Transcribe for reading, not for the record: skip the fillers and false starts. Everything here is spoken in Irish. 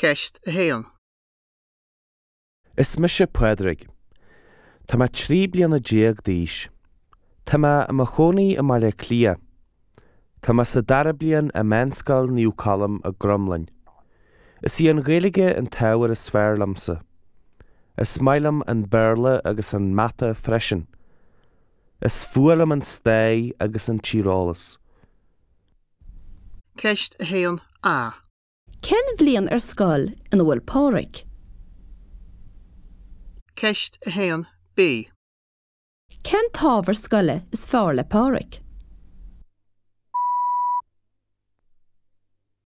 Ceist 1. Is mise Pádraig. Tá mé 13 bliana d'aois. Tá mé i mo chónaí i mBaile Átha Cliath. Tá mé sa dara bliain i Meánscoil Naomh Colm i gCromghlinn. Is í an Ghaeilge an t-ábhar is fearr liomsa. Is maith liom an Béarla agus an Mata freisin. Is fuath liom an Stair agus an Tíreolas. Ceist 1A. Cén bhliain ar scoil ina bhfuil Pádraig? Ceist 1B. Cén t-ábhar scoile is fearr le Pádraig?